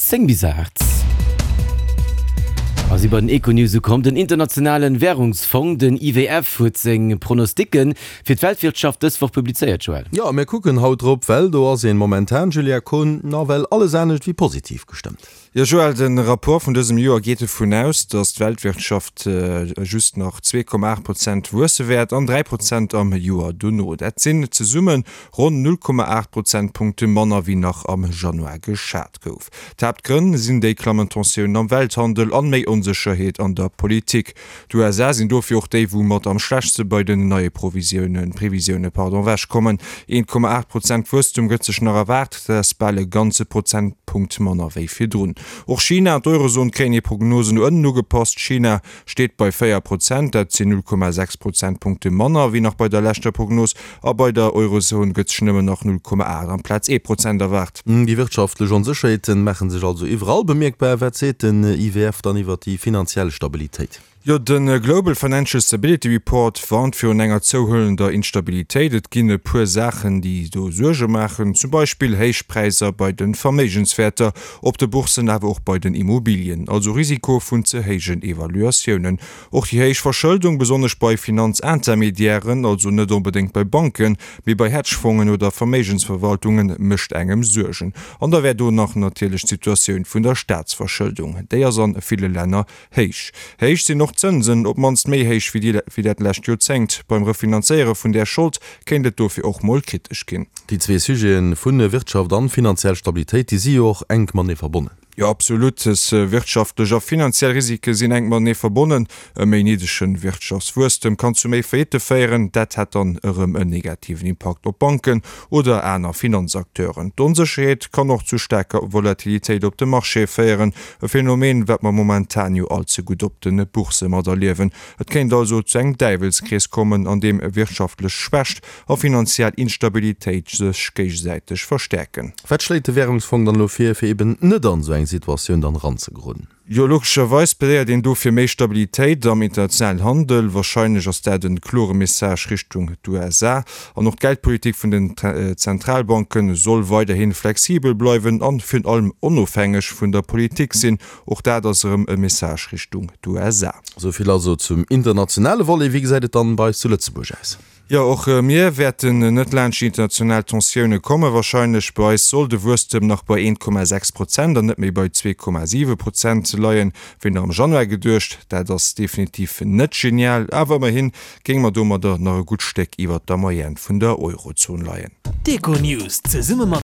10 bis 8. A si bei den Econews ukomm. Den internationalen Währungsfong, den IWF, huet seng Pronosticken fir d'Weltwirtschaft dës Woch publizéiert, Joël. Jo, a mir kucken haut drop, well do ass een momentan, Julia Kohn, nawell alles anescht wéi positiv gestëmmt. Jo Joël, de Rapport vun dësem Joer geet dovun aus, datt d'Weltwirtschaft just nach 2,8 Prozent wuesse wäert an 3 Prozent am Joer dono. Dat sinn zesumme ronn 0,8 Prozentpunkte manner wéi nach am Januar geschat gouf. D'Haaptgrënn sinn déi klammend Tensiounen am Welthandel an méi Onsécherheet an der Politik. D'USA sinn dofir och déi, wou mat am schlechtste bei den neie Provisiounen, Previsioune pardon, ewechkommen. 1,8 Prozent Wuesstum gëtt sech nach erwaart, dat ass bal e ganze Prozentpunkt manner wéi virdrun. Och China an d'Eurozon kréien hir Prognosen no ënnen ugepasst. China steet bei 4 Prozent, dat sinn 0,6 Prozentpunkte manner wéi nach bei der leschter Prognos. A bei der Eurozon gëtt sech nëmmen nach 0,8 amplaz ee Prozent erwaart. Déi wirtschaftlech Onsécherheeten maache sech also iwwerall bemierkbar. Wat seet den IWF dann iwwer déi finanziell Stabilitéit? Jo, de Global Financial Stability Report warnt virun enger zouhuelender Instabilitéit. Et ginn e puer Saachen, déi do Suerge maachen, zum Beispill héich Präisser bei de Verméigenswäerter op de Bourssen, awer och bei den Immobilien, also Risiko vun ze héijen Evaluatiounen. Och déi héich Verschëldung, besonnesch bei Finanzintermediairen, also net onbedéngt bei Banken, mee bei Hedgefongen oder Verméigensverwaltungen, mécht engem Suergen. An da wär do nach natierlech d'Situatioun vun der Staatsverschëldung. Déi ass an ville Länner héich. Héich sinn och d'Zënsen, op d'mannst méi héich wéi wéi dat lescht Joerzéngt. Beim Refinanzéiere vun där Schold kéint et dofir och mol kritesch ginn. Déi zwee Sujeten vun Wirtschaft an finanziell Stabilitéit, déi si jo och enk matenee verbonnen. Jo, absolut. Des wirtschaftlech a finanziell Risike sinn enk matenee verbonnen. E méi niddege Wirtschaftswuesstem kann zu méi Faillitte féieren. Dat hätt dann erëm en negativen Impakt op Banken oder aner Finanzacteuren. D'Onsécherheet kann och zu staarker Volatilitéit op de Marchéë féieren, e Phänomen, wat mer momentan jo all ze gutt op de Boursse materliewen. Et kéint also zu engem Däiwelskrees kommen, an deem wirtschaftlech Schwächt a finanziell Instabilitéit sech géigesäiteg verstäerken. Wat schléit de Währungsfong dann elo vir, fir eben net an esou eng Situatioun dann eranzegeroden? Jo, logescherweis plädéiert een do fir méi Stabilitéit am internationalen Handel. Wahrscheinlech ass dat en klore Message Richtung d'USA. An och d'Geldpolitik vun den Zentralbanken soll weiderhin flexibel bleiwen an virun allem onofhängeg vun der Politik sinn. Och dat ass erëm e Message Richtung d'USA. Esou vill also zum internationale Volet. Wéi gesäit et dann bei eis zu Lëtzebuerg aus? Jo, och mir wäerten net laanscht déi international Tensioune kommen. Warscheinlech bei eis soll de Wuesstem nach bei 1,6 Prozent an net méi bei 2,7 Prozent leien, wéi nach am Januar geduecht. Dat ass definitiv net genial, awer ëmmerhi géinge mer domadder nach e gutt Stéck iwwert der Moyenne vun der Eurozon leien. D'Econews zesumme mat.